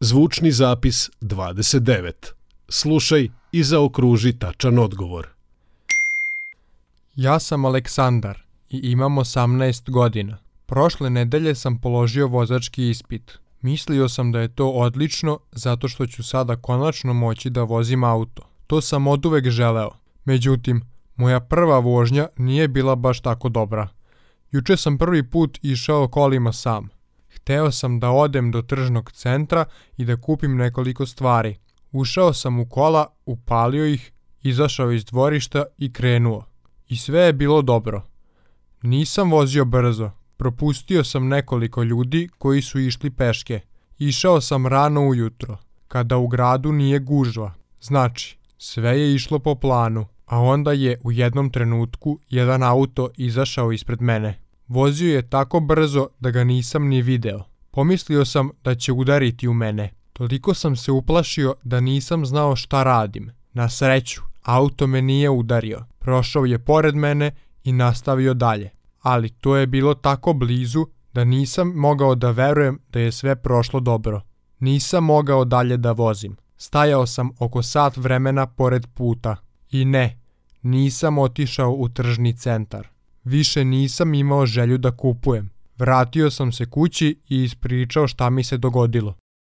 Zvučni zapis 29. Slušaj i zaokruži tačan odgovor. Ja sam Aleksandar i imam 18 godina. Prošle nedelje sam položio vozački ispit. Mislio sam da je to odlično zato što ću sada konačno moći da vozim auto. To sam oduvek želeo. Međutim, moja prva vožnja nije bila baš tako dobra. Juče sam prvi put išao kolima sam. Hteo sam da odem do tržnog centra i da kupim nekoliko stvari. Ušao sam u kola, upalio ih, izašao iz dvorišta i krenuo. I sve je bilo dobro. Nisam vozio brzo. Propustio sam nekoliko ljudi koji su išli peške. Išao sam rano ujutro, kada u gradu nije gužva. Znači, sve je išlo po planu, a onda je u jednom trenutku jedan auto izašao ispred mene. Vozio je tako brzo da ga nisam ni video. Pomislio sam da će udariti u mene. Toliko sam se uplašio da nisam znao šta radim. Na sreću, auto me nije udario. Prošao je pored mene i nastavio dalje. Ali to je bilo tako blizu da nisam mogao da verujem da je sve prošlo dobro. Nisam mogao dalje da vozim. Stajao sam oko sat vremena pored puta. I ne, nisam otišao u tržni centar. Više nisam imao želju da kupujem. Vratio sam se kući i ispričao šta mi se dogodilo.